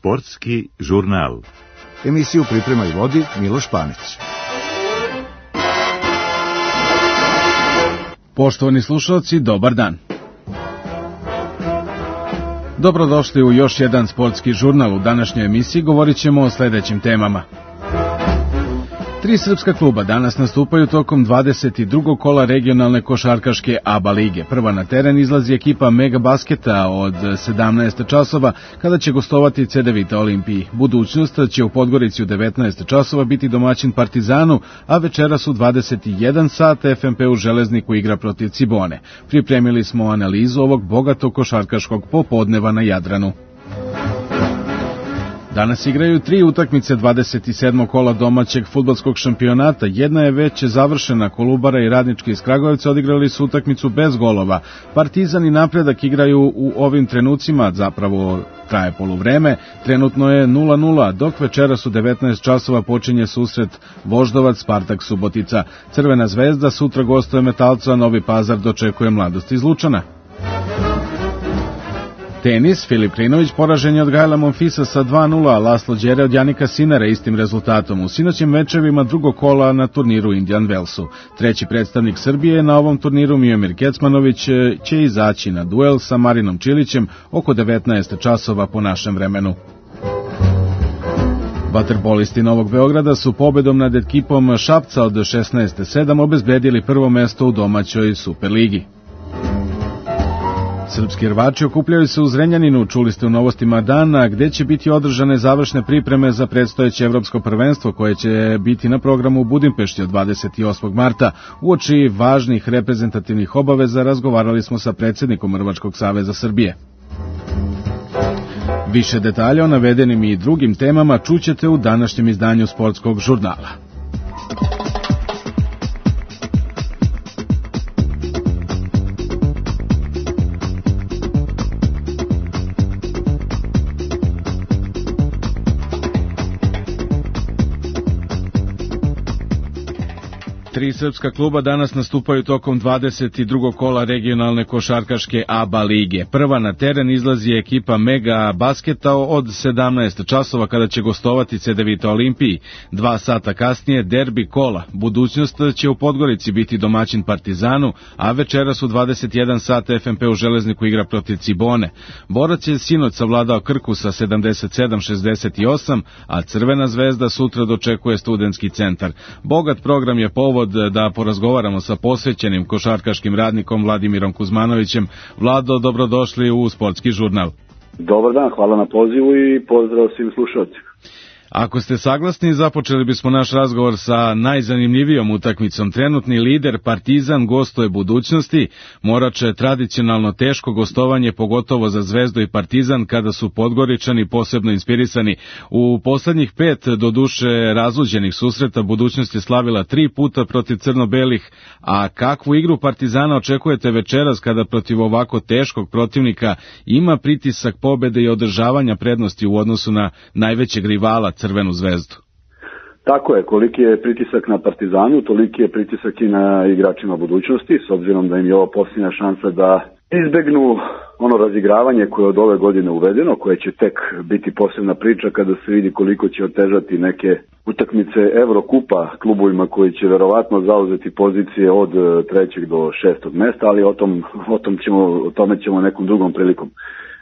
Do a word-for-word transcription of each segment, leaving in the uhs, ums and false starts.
Sportski žurnal. Emisiju priprema i vodi Miloš Panić. Poštovani slušalci, dobar dan. Dobrodošli u još jedan sportski žurnal. U današnjoj emisiji govorit ćemo o sljedećim temama. Tri srpska kluba danas nastupaju tokom dvadeset drugog kola regionalne košarkaške A B A lige. Prva na teren izlazi ekipa Mega Basketa od sedamnaest časova kada će gostovati C D Vita Olimpiji. Budućnost će u Podgorici u devetnaest časova biti domaćin Partizanu, a večeras u dvadeset jedan sat F M P u Železniku igra protiv Cibone. Pripremili smo analizu ovog bogatog košarkaškog popodneva na Jadranu. Danas igraju tri utakmice dvadeset sedmog kola domaćeg fudbalskog šampionata. Jedna je već završena, Kolubara i Radnički iz Kragujevca odigrali su utakmicu bez golova. Partizan i Napredak igraju u ovim trenucima, zapravo traje poluvreme, trenutno je nula nula, dok večeras u devetnaest časova počinje susret Voždovac Spartak Subotica. Crvena zvezda sutra gostuje Metalca, Novi Pazar dočekuje Mladost iz Lučana. Tenis, Filip Krinović poražen je od Gaela Monfisa sa dva nula, a Laslo Đere od Janika Sinara istim rezultatom. U sinoćim večevima drugog kola na turniru Indian Wellsu. Treći predstavnik Srbije na ovom turniru, Miomir Kecmanović, će izaći na duel sa Marinom Čilićem oko devetnaest časova po našem vremenu. Vaterpolisti Novog Beograda su pobedom nad ekipom Šapca od šesnaest sedam obezbedili prvo mesto u domaćoj Superligi. Srpski rvači okupljaju se u Zrenjaninu, čuli ste u novostima dana, gde će biti održane završne pripreme za predstojeće evropsko prvenstvo koje će biti na programu u Budimpešti od dvadeset osmog marta. Uoči važnih reprezentativnih obaveza razgovarali smo sa predsjednikom Rvačkog saveza Srbije. Više detalja o navedenim i drugim temama čućete u današnjem izdanju sportskog žurnala. Tri srpska kluba danas nastupaju tokom dvadeset drugog kola regionalne košarkaške A B A lige. Prva na teren izlazi ekipa Mega Basketa od sedamnaest časova kada će gostovati C D Vita Olimpiji. Dva sata kasnije derbi kola. Budućnost će u Podgorici biti domaćin Partizanu, a večeras u dvadeset jedan sat F M P u Železniku igra protiv Cibone. Borac je sinoć savladao Krku sa sedamdeset sedam šezdeset osam, a Crvena zvezda sutra dočekuje Studentski centar. Bogat program je povod da porazgovaramo sa posvećenim košarkaškim radnikom Vladimirom Kuzmanovićem. Vlado, dobrodošli u sportski žurnal. Dobar dan, hvala na pozivu i pozdrav svim slušalcima. Ako ste saglasni, započeli bismo naš razgovor sa najzanimljivijom utakmicom. Trenutni lider Partizan gostuje Budućnosti. Morače tradicionalno teško gostovanje, pogotovo za Zvezdu i Partizan kada su Podgoričani posebno inspirisani. U poslednjih pet do duše razluđenih susreta Budućnost je slavila tri puta protiv crno-belih, a kakvu igru Partizana očekujete večeras kada protiv ovako teškog protivnika ima pritisak pobede i održavanja prednosti u odnosu na najvećeg rivala Crvenu zvezdu? Tako je, koliki je pritisak na Partizanu, toliki je pritisak i na igračima Budućnosti, s obzirom da im je ovo posljednja šansa da izbegnu ono razigravanje koje je od ove godine uvedeno, koje će tek biti posebna priča kada se vidi koliko će otežati neke utakmice Evrokupa klubovima koji će verovatno zauzeti pozicije od trećeg do šestog mesta, ali o, tom, o, tom ćemo, o tome ćemo nekom drugom prilikom.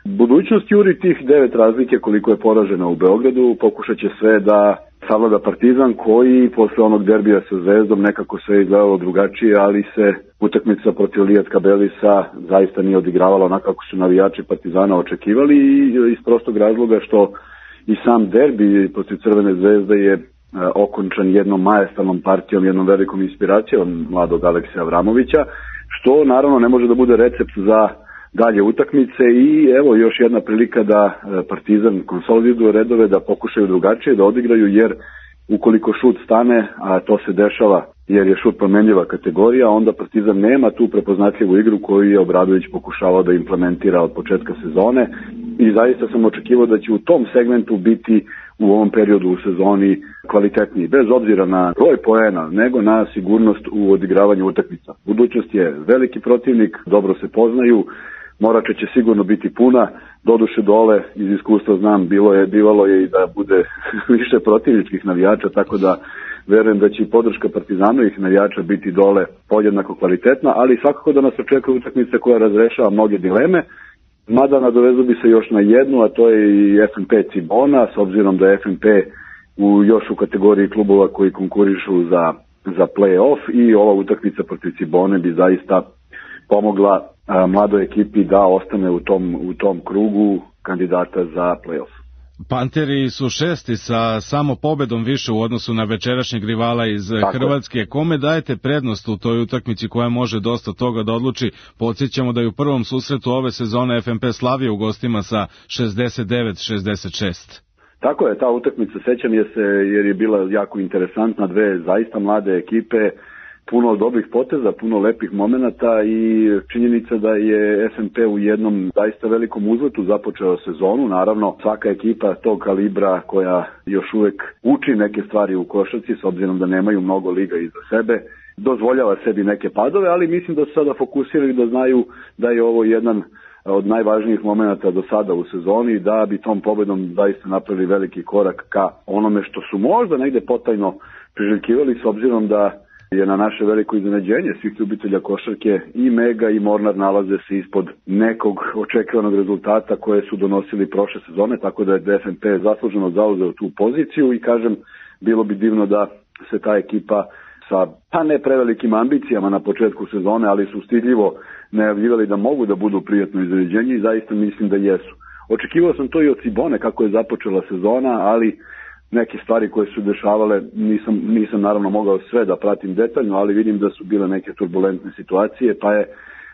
Budućnost juri tih devet razlike koliko je poražena u Beogradu, pokušat će sve da savlada Partizan koji posle onog derbija sa Zvezdom nekako sve izgledalo drugačije, ali se utakmica protiv Lijatka Belisa zaista nije odigravala onako kako su navijači Partizana očekivali i iz prostog razloga što i sam derbi protiv Crvene zvezde je okončan jednom majestralnom partijom, jednom velikom inspiracijom mladog Aleksija Avramovića, što naravno ne može da bude recept za dalje utakmice i evo još jedna prilika da Partizan konsoliduje redove, da pokušaju drugačije da odigraju, jer ukoliko šut stane, a to se dešava jer je šut promenljiva kategorija, onda Partizan nema tu prepoznatljivu igru koju je Obradović pokušavao da implementira od početka sezone i zaista sam očekivao da će u tom segmentu biti u ovom periodu u sezoni kvalitetniji, bez obzira na broj poena, nego na sigurnost u odigravanju utakmica. Budućnost je veliki protivnik, dobro se poznaju, Morača će sigurno biti puna, doduše dole iz iskustva znam, bilo je, bivalo je i da bude više protivničkih navijača, tako da verujem da će i podrška Partizanovih navijača biti dole podjednako kvalitetna, ali svakako da nas očekuje utakmica koja razrešava mnoge dileme, mada nadovezu bi se još na jednu, a to je i F N P Cibona, s obzirom da je F N P u, još u kategoriji klubova koji konkurišu za, za play-off i ova utakmica protiv Cibone bi zaista pomogla a, mladoj ekipi da ostane u tom, u tom krugu kandidata za play-off. Panteri su šesti sa samo pobedom više u odnosu na večerašnjeg rivala iz Tako. Hrvatske. Kome dajete prednost u toj utakmici koja može dosta toga da odluči? Podsjećamo da je u prvom susretu ove sezone F N P Slavija u gostima sa šezdeset devet šezdeset šest. Tako je, ta utakmica, sećam je se jer je bila jako interesantna, dve zaista mlade ekipe, puno dobrih poteza, puno lepih momenata i činjenica da je F N P u jednom zaista velikom uzletu započeo sezonu. Naravno, svaka ekipa tog kalibra koja još uvek uči neke stvari u košarci, s obzirom da nemaju mnogo liga iza sebe, dozvoljava sebi neke padove, ali mislim da su sada fokusirali da znaju da je ovo jedan od najvažnijih momenata do sada u sezoni, da bi tom pobedom zaista napravili veliki korak ka onome što su možda negde potajno priželjkivali, s obzirom da je na naše veliko iznenađenje svih ljubitelja košarke i Mega i Mornar nalaze se ispod nekog očekivanog rezultata koje su donosili prošle sezone, tako da je F N P zasluženo zauzeo tu poziciju i kažem, bilo bi divno da se ta ekipa sa pa ne prevelikim ambicijama na početku sezone, ali su stidljivo najavljivali da mogu da budu prijatno iznenađenje i zaista mislim da jesu. Očekivao sam to i od Cibone kako je započela sezona, ali neke stvari koje su dešavale, nisam, nisam naravno mogao sve da pratim detaljno, ali vidim da su bile neke turbulentne situacije, pa je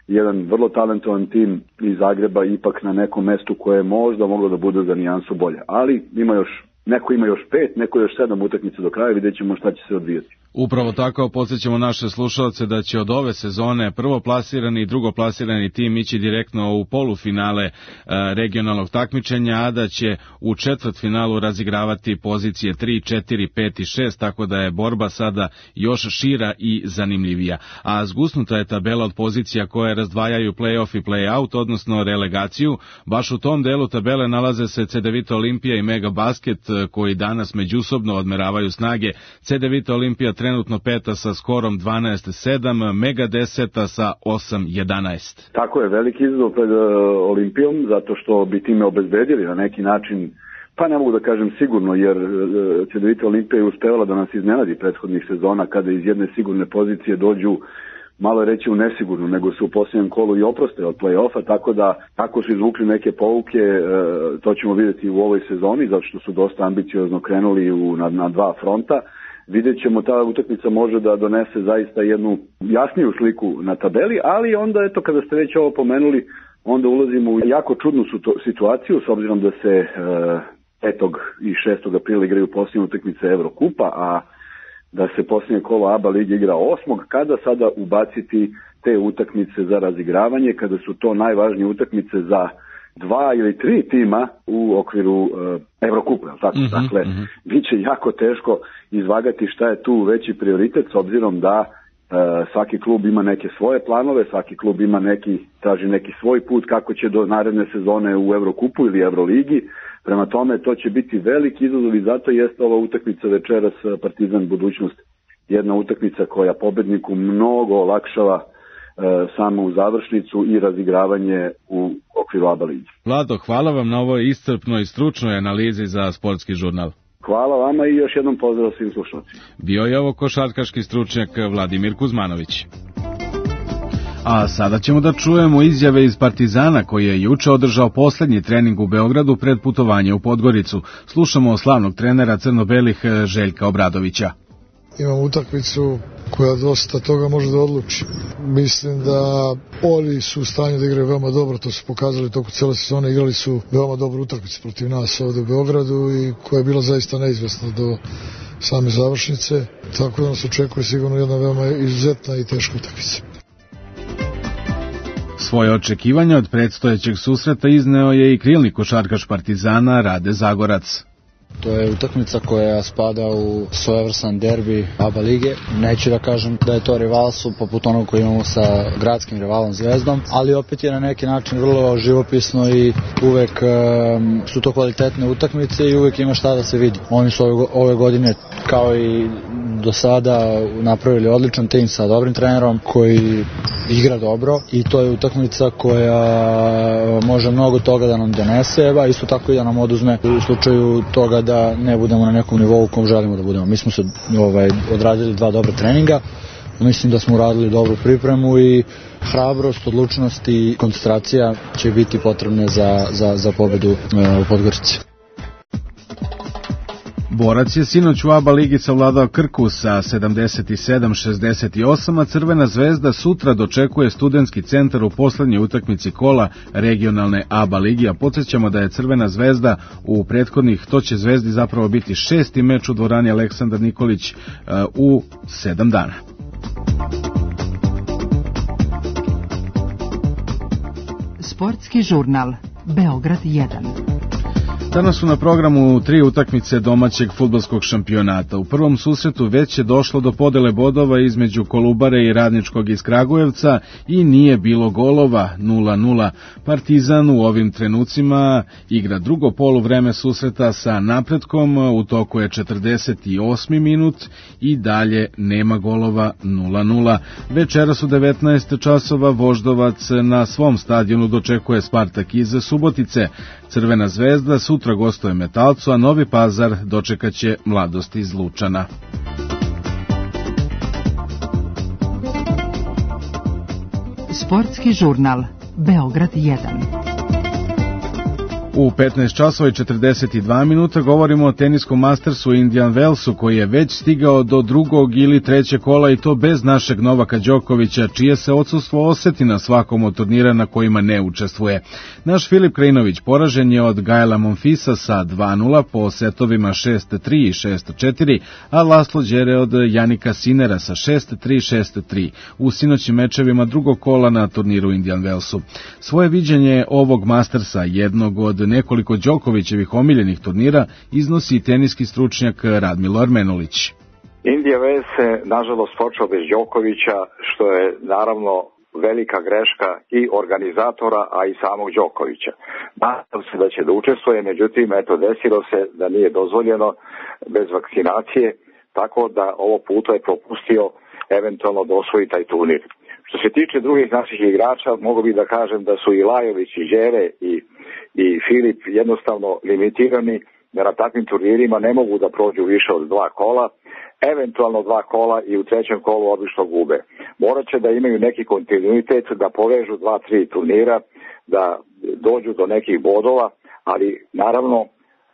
jedan vrlo talentovan tim iz Zagreba ipak na nekom mestu koje je možda moglo da bude za nijansu bolje. Ali ima još, neko ima još pet, neko još sedam utakmica do kraja, vidjet ćemo šta će se odvijati. Upravo tako podsjećamo naše slušalce da će od ove sezone prvoplasirani i drugoplasirani tim ići direktno u polufinale e, regionalnog takmičenja, a da će u četvrtfinalu razigravati pozicije tri, četiri, pet i šest, tako da je borba sada još šira i zanimljivija. A zgusnuta je tabela od pozicija koje razdvajaju play-off i play-out, odnosno relegaciju. Baš u tom delu tabele nalaze se C D Vita Olimpija i Mega Basket, koji danas međusobno odmeravaju snage. C D Vita Olimpija trenutno peta sa skorom dvanaest sedam, Mega deseta sa osam jedanaest. Tako je, veliki izazov pred uh, Olimpijom, zato što bi time obezbedili na neki način, pa ne mogu da kažem sigurno, jer uh, C D Vita Olimpija je uspevala da nas iznenadi prethodnih sezona kada iz jedne sigurne pozicije dođu malo reći u nesigurno, nego su u posljednjem kolu i oproste od play-offa, tako da ako su izvukli neke pouke, uh, to ćemo vidjeti u ovoj sezoni, zato što su dosta ambiciozno krenuli u, na, na dva fronta. Vidjet ćemo, ta utakmica može da donese zaista jednu jasniju sliku na tabeli, ali onda, eto, kada ste već ovo pomenuli, onda ulazimo u jako čudnu situaciju, s obzirom da se e, petog i šestog aprila igraju posljednje utakmice Evrokupa, a da se posljednje kolo A B A lige igra osmog Kada sada ubaciti te utakmice za razigravanje, kada su to najvažnije utakmice za dva ili tri tima u okviru uh, Evrokupa, tako? Mm-hmm, dakle, mm-hmm. bit će jako teško izvagati šta je tu veći prioritet, s obzirom da uh, svaki klub ima neke svoje planove, svaki klub ima neki, traži neki svoj put kako će do naredne sezone u Evrokupu ili Evroligi. Prema tome, to će biti veliki izazov i zato jeste ova utakmica večeras Partizan budućnost, jedna utakmica koja pobedniku mnogo olakšava samo u završnicu i razigravanje u okviru A B A ligi. Vlado, hvala vam na ovoj iscrpnoj i stručnoj analizi za Sportski žurnal. Hvala vama i još jednom pozdrav svim slušalcima. Bio je ovo košarkaški stručnjak Vladimir Kuzmanović. A sada ćemo da čujemo izjave iz Partizana koji je juče održao poslednji trening u Beogradu pred putovanje u Podgoricu. Slušamo slavnog trenera crno-belih Željka Obradovića. Imamo utakmicu koja dosta toga može da odluči. Mislim da oni su u stanju da igraju veoma dobro, to su pokazali toku cele sezone, igrali su veoma dobru utakmicu protiv nas ovde u Beogradu i koja je bila zaista neizvesna do same završnice, tako da nas očekuje sigurno jedna veoma izuzetna i teška utakmica. Svoje očekivanja od predstojećeg susreta izneo je i krilni košarkaš Partizana Rade Zagorac. To je utakmica koja spada u svojevrstan derbi ABA lige. Neću da kažem da je to rivalstvo poput onog koji imamo sa gradskim rivalom Zvezdom, ali opet je na neki način vrlo živopisno i uvek um, su to kvalitetne utakmice i uvek ima šta da se vidi. Oni su ove, ove godine kao i do sada napravili odličan tim sa dobrim trenerom koji igra dobro i to je utakmica koja može mnogo toga da nam donese, a isto tako i da nam oduzme u slučaju toga da ne budemo na nekom nivou u kom želimo da budemo. Mi smo se ovaj, odradili dva dobra treninga, mislim da smo uradili dobru pripremu i hrabrost, odlučnost i koncentracija će biti potrebne za, za, za pobedu e, u Podgorici. Borac je sinoć u ABA ligi savladao Krku sa sedamdeset sedam šezdeset osam, a Crvena zvezda sutra dočekuje Studentski centar u poslednjoj utakmici kola regionalne ABA ligi, a podsjećamo da je Crvena zvezda u prethodnih, to će Zvezdi zapravo biti šesti meč u dvorani Aleksandar Nikolić u sedam dana. Sportski žurnal Beograd jedan. Danas su na programu tri utakmice domaćeg fudbalskog šampionata. U prvom susretu već je došlo do podele bodova između Kolubare i Radničkog iz Kragujevca i nije bilo golova, nula nula. Partizan u ovim trenucima igra drugo poluvreme susreta sa Napretkom, u toku je četrdeset osmi minut i dalje nema golova, nula nula. Večeras u devetnaest časova Voždovac na svom stadionu dočekuje Spartak iz Subotice. Crvena zvezda sutra gostuje Metalcu, a Novi Pazar dočekaće Mladost iz Lučana. Sportski žurnal Beograd jedan. U petnaest časova i četrdeset dva minuta govorimo o teniskom Mastersu Indian Wellsu koji je već stigao do drugog ili trećeg kola i to bez našeg Novaka Đokovića, čije se odsustvo oseti na svakom od turnira na kojima ne učestvuje. Naš Filip Krajinović poražen je od Gaela Monfisa sa dva nula po setovima šest tri i šest četiri, a Laslo Đere od Janika Sinera sa šest tri šest tri u sinoćnim mečevima drugog kola na turniru Indian Wellsu. Svoje viđenje ovog Mastersa, jednog od nekoliko Đokovićevih omiljenih turnira, iznosi teniski stručnjak Radmilo Armenulić. Indian Wells se nažalost počeo bez Đokovića, što je naravno velika greška i organizatora, a i samog Đokovića. Nadam se da će da učestvuje, međutim, eto, desilo se da nije dozvoljeno bez vakcinacije, tako da ovo puta je propustio eventualno da osvoji taj turnir. Što se tiče drugih naših igrača, mogu bi da kažem da su i Lajović i Đere i, i Filip jednostavno limitirani, da na takvim turnirima ne mogu da prođu više od dva kola, eventualno dva kola i u trećem kolu obično gube. Morat će da imaju neki kontinuitet, da povežu dva, tri turnira, da dođu do nekih bodova, ali naravno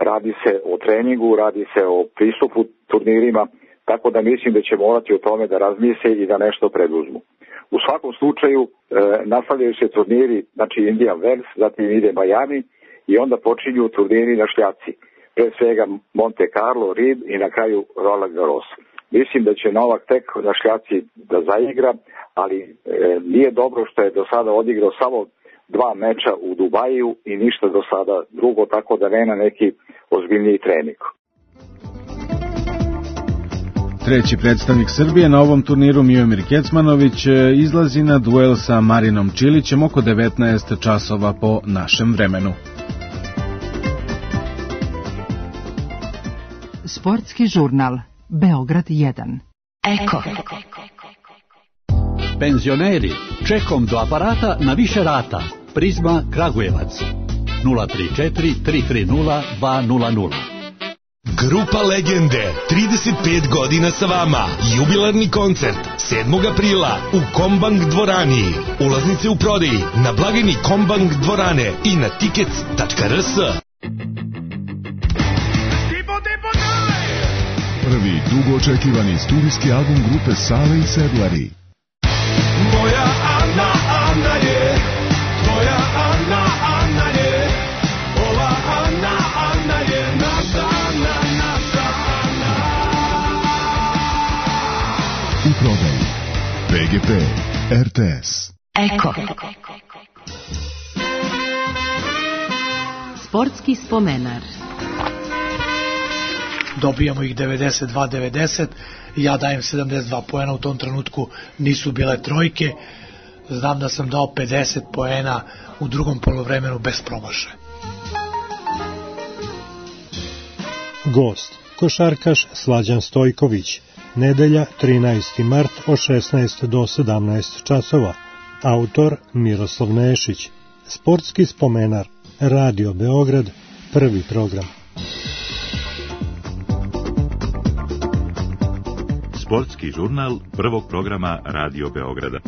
radi se o treningu, radi se o pristupu turnirima, tako da mislim da će morati o tome da razmisle i da nešto preduzmu. U svakom slučaju e, nastavljaju se turniri, znači Indian Wells, zatim ide Miami i onda počinju turniri na šljaci. Pre svega Monte Carlo, Reed i na kraju Roland Garros. Mislim da će Novak tek na šljaci da zaigra, ali e, nije dobro što je do sada odigrao samo dva meča u Dubaju i ništa do sada drugo, tako da nema neki ozbiljniji trening. Treći predstavnik Srbije na ovom turniru, Miomir Kecmanović, izlazi na duel sa Marinom Čilićem oko devetnaest časova po našem vremenu. Sportski žurnal Beograd jedan. Eko. Penzioneri, čekom do aparata na više rata. Prizma Kragujevac nula tri četiri tri tri nula dva nula nula. Grupa Legende, trideset pet godina sa vama. Jubilarni koncert sedmog aprila u Kombank dvorani. Ulaznice u prodaji na blagajni Kombank dvorane i na tickets tačka r s. Prvi dugo očekivani studijski album grupe Sale i Sedlari. Moja Ana, Ana je, tvoja Ana, Ana je, ova Ana, Ana je naša Ana, naša Ana. U prodaju P G P, R T S. Eko. Sportski spomenar. dobijamo ih devedeset dva devedeset, ja dajem sedamdeset dva poena, u tom trenutku nisu bile trojke, znam da sam dao pedeset poena u drugom poluvremenu bez promašaja. Gost, košarkaš Slađan Stojković, nedelja trinaesti mart od šesnaest do sedamnaest časova, autor Miroslav Nešić, sportski spomenar, Radio Beograd, prvi program. Sportski žurnal prvog programa Radio Beograda.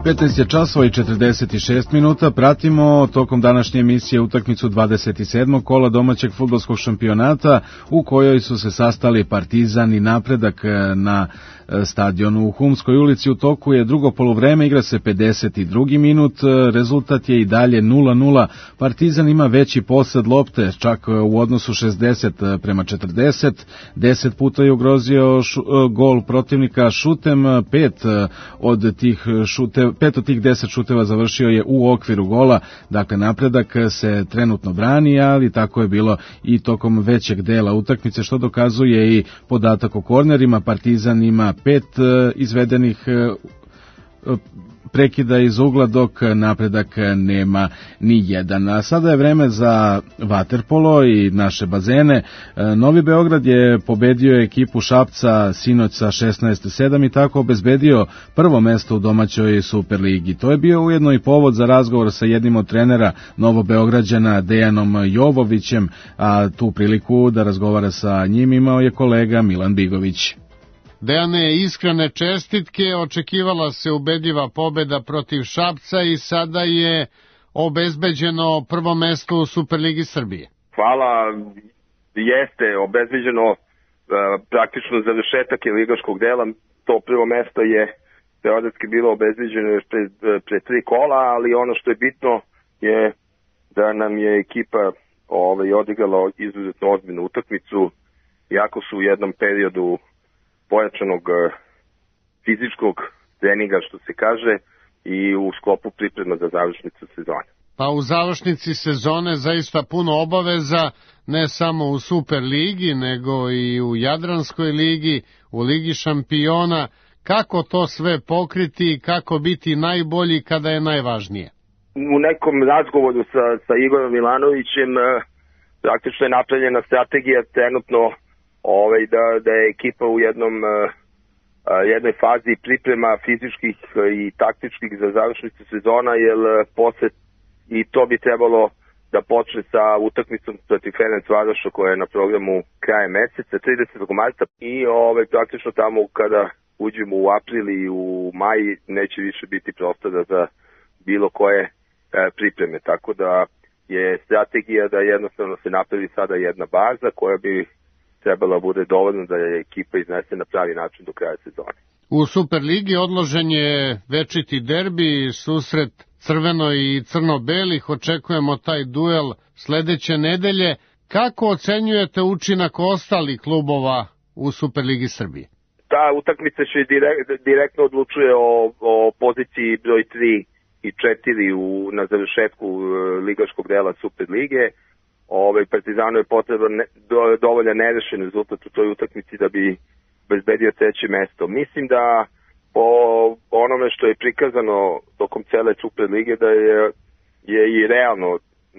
petnaest je časova i četrdeset šest minuta, pratimo tokom današnje emisije utakmicu dvadeset sedmog kola domaćeg fudbalskog šampionata u kojoj su se sastali Partizan i Napredak na stadionu u Humskoj ulici. U toku je drugo poluvreme, igra se pedeset drugi minut, rezultat je i dalje nula nula. Partizan ima veći posed lopte, čak u odnosu šezdeset prema četrdeset, deset puta je ugrozio šu, gol protivnika šutem, pet od tih šute, pet od tih deset šuteva završio je u okviru gola, dakle Napredak se trenutno brani, ali tako je bilo i tokom većeg dela utakmice, što dokazuje i podatak o kornerima. Partizan ima pet izvedenih prekida iz ugla, dok Napredak nema ni jedan. A sada je vreme za vaterpolo i naše bazene. Novi Beograd je pobedio ekipu Šapca sinoć sa šesnaest sedam i tako obezbedio prvo mesto u domaćoj Superligi. To je bio ujedno i povod za razgovor sa jednim od trenera Novobeograđana, Dejanom Jovovićem, a tu priliku da razgovara sa njim imao je kolega Milan Bigović. Dejane, iskrene čestitke, očekivala se ubedljiva pobeda protiv Šapca i sada je obezbeđeno prvo mesto u Superligi Srbije. Hvala, jeste obezbeđeno, praktično završetak je ligaškog dela, to prvo mesto je teoretski bilo obezbeđeno još pre, pre tri kola, ali ono što je bitno je da nam je ekipa ovaj, odigrala izuzetno ozbiljnu utakmicu, iako su u jednom periodu pojačanog fizičkog treninga, što se kaže, i u sklopu priprema za završnicu sezone. Pa u završnici sezone zaista puno obaveza, ne samo u Superligi, nego i u Jadranskoj ligi, u Ligi šampiona. Kako to sve pokriti i kako biti najbolji kada je najvažnije? U nekom razgovoru sa, sa Igorom Milanovićem praktično je napravljena strategija trenutno Ovaj, da, da je ekipa u jednom, uh, jednoj fazi priprema fizičkih i taktičkih za završnicu sezona, jer uh, posle i to bi trebalo da počne sa utakmicom protiv Ferencvaroša koja je na programu kraja meseca, tridesetog marta, i ovaj, praktično tamo kada uđemo u april i u maj neće više biti prostora za bilo koje uh, pripreme, tako da je strategija da jednostavno se napravi sada jedna baza koja bi trebala bude dovoljno da je ekipa iznese na pravi način do kraja sezone. U Superligi odložen je večiti derbi, susret crveno i crno-belih, očekujemo taj duel sledeće nedelje. Kako ocenjujete učinak ostalih klubova u Superligi Srbije? Ta utakmica će direkt, direktno odlučuje o, o poziciji broj tri i četiri u, na završetku ligaškog dela Superlige. Ovaj, Partizanu je potreban ne, do, dovoljan nerešen rezultat u toj utakmici da bi bezbedio treće mesto. Mislim da po onome što je prikazano tokom cele Superlige da je, je i realno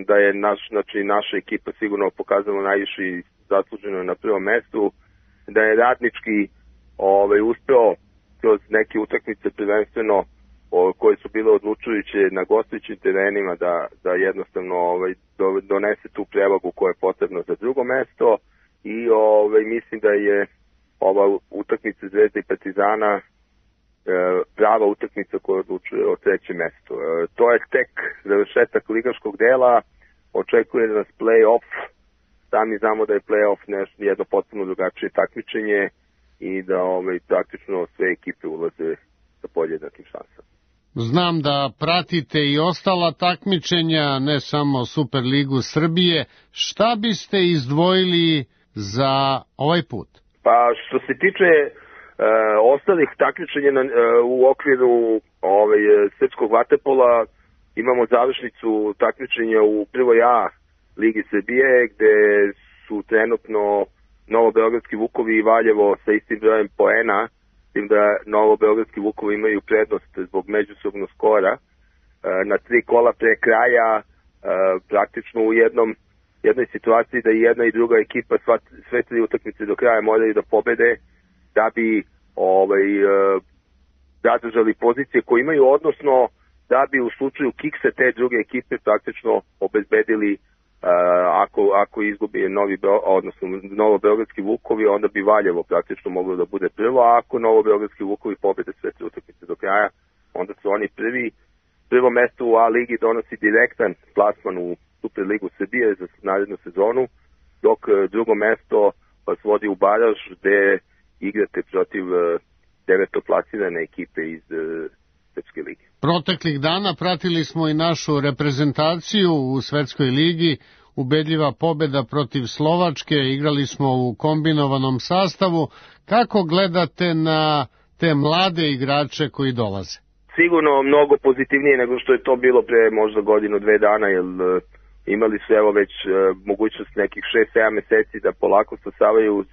da je naš, znači, naša ekipa sigurno pokazala najviše i zasluženo na prvom mestu, da je Radnički ovaj, uspeo kroz neke utakmice prvenstveno o, koje su bile odlučujuće na gostujućim terenima da, da jednostavno ovaj, do, donese tu prevagu koja je potrebna za drugo mesto i ovaj, mislim da je ova utakmica Zvezde i Partizana e, prava utakmica koja odlučuje o trećem mestu. E, to je tek završetak ligaškog dela, očekuje nas play-off, sami znamo da je play-off nešto, jedno potpuno drugačije takmičenje i da ovaj, praktično sve ekipe ulaze sa podjednakim šansama. Znam da pratite i ostala takmičenja, ne samo Superligu Srbije. Šta biste izdvojili za ovaj put? Pa što se tiče e, ostalih takmičenja na, e, u okviru ovaj, srpskog vaterpola, imamo završnicu takmičenja u prvoj A Ligi Srbije, gde su trenutno Novobeogradski Vukovi i Valjevo sa istim brojem poena, tim da Novobeogradski Vukovi imaju prednost zbog međusobnog skora. Na tri kola pre kraja, praktično u jednom, jednoj situaciji da i jedna i druga ekipa sva, sve tri utakmice do kraja moraju da pobede da bi ovaj, zadržali pozicije koje imaju, odnosno da bi u slučaju kikse te druge ekipe praktično obezbedili Uh, ako, ako izgubi Novi Beo, odnosno Novobeogradski Vukovi, onda bi Valjevo praktično moglo da bude prvo, a ako Novobeogradski Vukovi pobede sve tri utakmice do kraja, onda su oni prvi. Prvo mesto u A ligi donosi direktan plasman u Superligu Srbije za narednu sezonu, dok drugo mesto vas vodi u baraž gde igrate protiv devetoplasirane ekipe iz Srpske lige. Proteklih dana pratili smo i našu reprezentaciju u Svetskoj ligi, ubedljiva pobeda protiv Slovačke, igrali smo u kombinovanom sastavu. Kako gledate na te mlade igrače koji dolaze? Sigurno mnogo pozitivnije nego što je to bilo pre možda godinu, dve dana, jer uh, imali su evo već uh, mogućnost nekih šest sedam meseci da polako stasavaju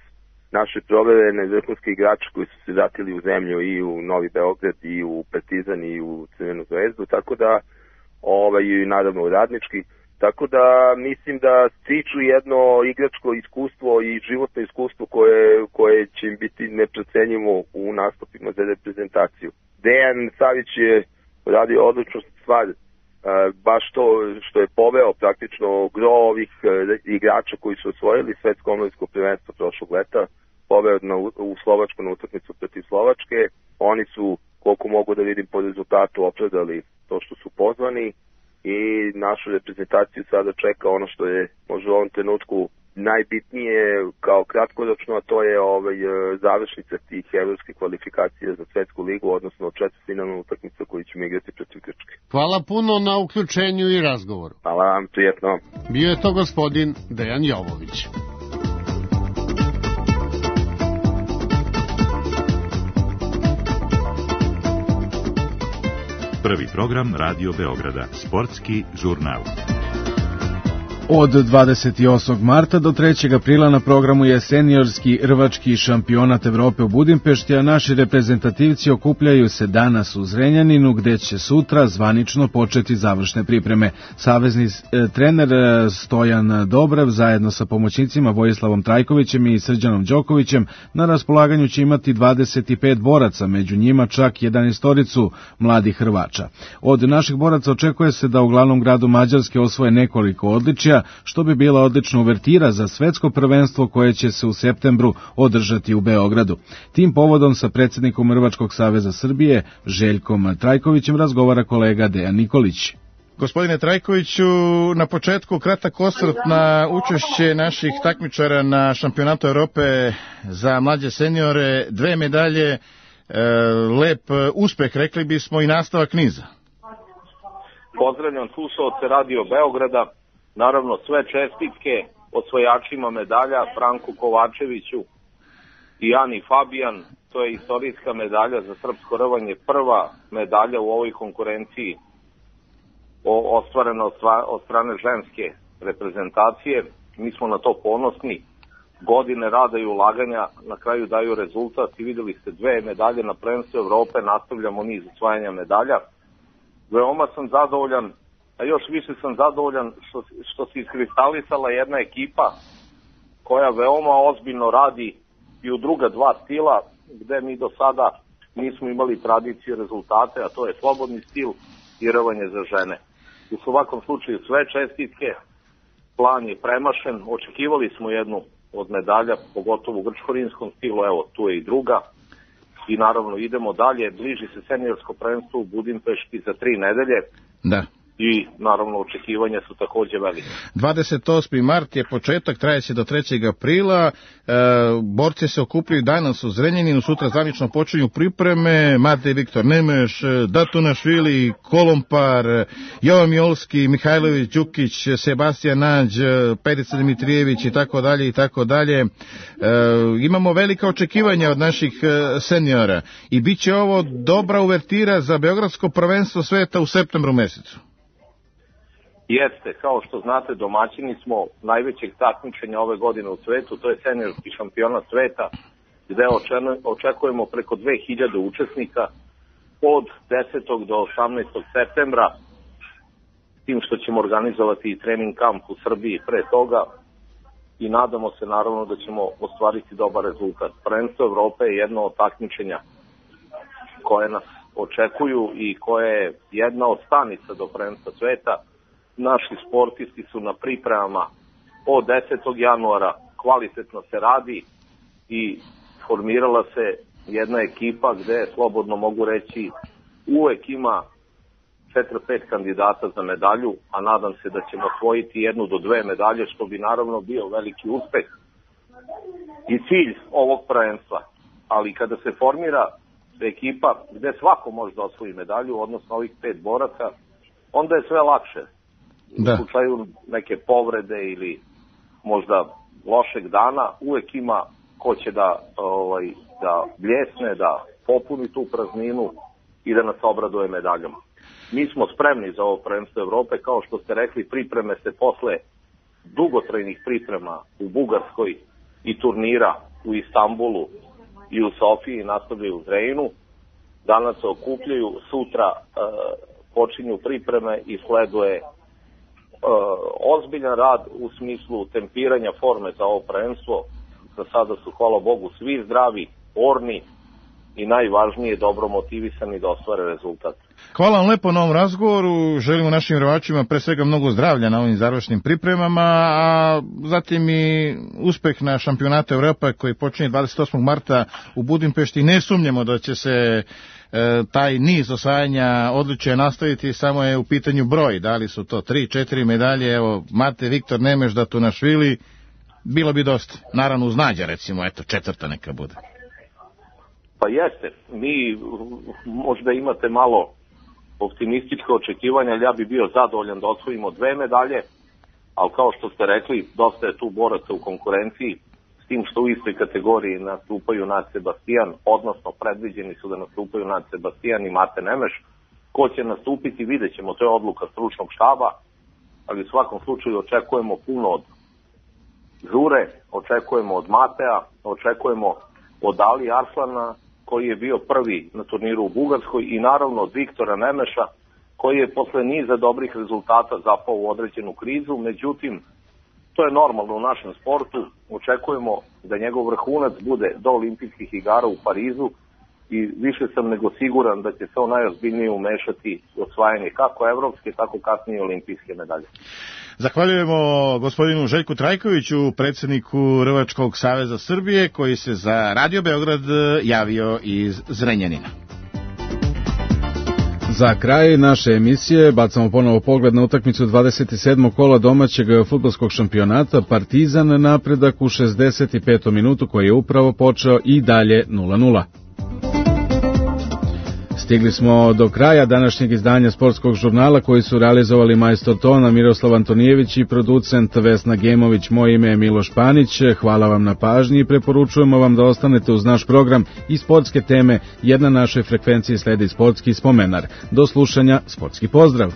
naše proverene vrhunske igrače koji su se vratili u zemlju i u Novi Beograd i u Partizan i u Crvenu zvezdu, tako da ovaj, i naravno u Radnički, tako da mislim da stiču jedno igračko iskustvo i životno iskustvo koje, koje će im biti neprocenjivo u nastupima za reprezentaciju. Dejan Savić je radio odličnu stvar, baš to što je poveo praktično gro ovih igrača koji su osvojili svetsko omladinsko prvenstvo prošlog leta, poveo na, u Slovačku na utakmicu protiv Slovačke. Oni su, koliko mogu da vidim po rezultatu, opravdali to što su pozvani i našu reprezentaciju sada čeka ono što je možda u ovom trenutku najbitnije kao kratkoročno, a to je ovaj, završnica tih evropskih kvalifikacija za Svetsku ligu, odnosno četvrtfinalnu utakmicu koju ćemo igrati protiv Grčke. Hvala puno na uključenju i razgovoru. Hvala vam, prijetno. Bio je to gospodin Dejan Jovović. Prvi program Radio Beograda, sportski žurnal. Od dvadeset osmog marta do trećeg aprila na programu je seniorski rvački šampionat Evrope u Budimpešti, a naši reprezentativci okupljaju se danas u Zrenjaninu, gde će sutra zvanično početi završne pripreme. Savezni e, trener Stojan Dobrev zajedno sa pomoćnicima Vojislavom Trajkovićem i Srđanom Đokovićem na raspolaganju će imati dvadeset pet boraca, među njima čak jedanaestoricu mladih Hrvača. Od naših boraca očekuje se da u glavnom gradu Mađarske osvoje nekoliko odličja, što bi bila odlična uvertira za svetsko prvenstvo koje će se u septembru održati u Beogradu. Tim povodom sa predsjednikom Rvačkog saveza Srbije, Željkom Trajkovićem, razgovara kolega Dejan Nikolić. Gospodine Trajkoviću, na početku kratak osvrt na učešće naših takmičara na šampionatu Europe za mlađe seniore, dve medalje, e, lep uspeh, rekli bismo, i nastavak niza. Pozdravljam slušalce Radio Beograda. Naravno, sve čestitke osvojačima medalja, Franku Kovačeviću i Ani Fabijan. To je istorijska medalja za srpsko rvanje, prva medalja u ovoj konkurenciji ostvarena od strane ženske reprezentacije. Mi smo na to ponosni. Godine rada i ulaganja na kraju daju rezultat i videli ste dve medalje na prvenstvu Evrope, nastavljamo niz osvajanja medalja. Veoma sam zadovoljan, a još više sam zadovoljan što, što se iskristalisala jedna ekipa koja veoma ozbiljno radi i u druga dva stila, gde mi do sada nismo imali tradiciju rezultate, a to je slobodni stil i rvanje za žene. U svakom slučaju sve čestitke, plan je premašen, očekivali smo jednu od medalja, pogotovo u grčko-rimskom stilu, evo tu je i druga. I naravno idemo dalje, bliži se seniorsko prvenstvo u Budimpešti za tri nedelje. Da. I naravno očekivanja su takođe velike. dvadeset osmi mart je početak, traje se do trećeg aprila, e, borci se okupljaju danas u Zrenjaninu, sutra zvanično počinju pripreme, Matej Viktor Nemeš, Datunašvili, Kolompar, Jovan Miolski, Mihajlović Đukić, Sebastijan Nađ, Perica Dimitrijević i tako dalje i tako dalje. E, imamo velika očekivanja od naših seniora i bit će ovo dobra uvertira za beogradsko prvenstvo sveta u septembru mesecu. Jeste, kao što znate, domaćini smo najvećeg takmičenja ove godine u svetu, to je seniorski šampionat sveta, gde očekujemo preko dve hiljade učesnika od desetog do osamnaestog septembra, tim što ćemo organizovati i trening kamp u Srbiji pre toga i nadamo se naravno da ćemo ostvariti dobar rezultat. Prvenstvo Evrope je jedno od takmičenja koje nas očekuju i koje je jedna od stanica do prvenstva sveta. Naši sportisti su na pripremama od desetog januara, kvalitetno se radi i formirala se jedna ekipa gde, slobodno mogu reći, uvek ima četiri pet kandidata za medalju, a nadam se da ćemo osvojiti jednu do dve medalje, što bi naravno bio veliki uspeh i cilj ovog prvenstva. Ali kada se formira ekipa gde svako može da osvoji medalju, odnosno ovih pet boraca, onda je sve lakše. Da. U slučaju neke povrede ili možda lošeg dana, uvek ima ko će da, ovaj, da bljesne, da popuni tu prazninu i da nas obraduje medaljama. Mi smo spremni za ovo prvenstvo Evrope, kao što ste rekli, pripreme se posle dugotrajnih priprema u Bugarskoj i turnira u Istanbulu i u Sofiji, nastavljaju u Zrenjaninu. Danas se okupljaju, sutra e, počinju pripreme i sleduje e, ozbiljan rad u smislu tempiranja forme za ovo prvenstvo. Za sada su, hvala Bogu, svi zdravi, orni i najvažnije dobro motivisani da ostvare rezultat. Hvala vam lepo na ovom razgovoru, želimo našim verovačima pre svega mnogo zdravlja na ovim završnim pripremama, a zatim i uspeh na šampionatu Evrope koji počinje dvadeset osmog marta u Budimpešti. Ne sumnjamo da će se e, taj niz osvajanja odličja nastaviti, samo je u pitanju broj, da li su to tri, četiri medalje, evo Mate Viktor Nemeš, Datunašvili, bilo bi dosta, naravno uz Nađa recimo, eto četvrta neka bude. Pa jeste, mi možda imate malo optimističke očekivanja, ali ja bi bio zadovoljan da osvojimo dve medalje, ali kao što ste rekli, dosta je tu boraca u konkurenciji, s tim što u istoj kategoriji nastupaju Nad Sebastijan, odnosno predviđeni su da nastupaju Nad Sebastijan i Mate Nemeš. Ko će nastupiti, vidjet ćemo, to je odluka stručnog štaba, ali u svakom slučaju očekujemo puno od Žure, očekujemo od Matea, očekujemo od Ali Arslana, koji je bio prvi na turniru u Bugarskoj, i naravno od Viktora Nemeša, koji je posle niza dobrih rezultata zapao u određenu krizu. Međutim, to je normalno u našem sportu. Očekujemo da njegov vrhunac bude do olimpijskih igara u Parizu i više sam nego siguran da će se on najozbiljnije umešati u osvajanje kako evropske, tako kasnije olimpijske medalje. Zahvaljujemo gospodinu Željku Trajkoviću, predsjedniku Rvačkog saveza Srbije, koji se za Radio Beograd javio iz Zrenjanina. Za kraj naše emisije bacamo ponovo pogled na utakmicu dvadeset sedmog kola domaćeg fudbalskog šampionata. Partizan napredak u šezdeset petom minutu koji je upravo počeo i dalje nula nula. Stigli smo do kraja današnjeg izdanja sportskog žurnala koji su realizovali majstor tona Miroslav Antonijević i producent Vesna Gemović. Moje ime je Miloš Panić. Hvala vam na pažnji i preporučujemo vam da ostanete uz naš program i sportske teme. Jedna našoj frekvenciji sledi sportski spomenar. Do slušanja, sportski pozdrav!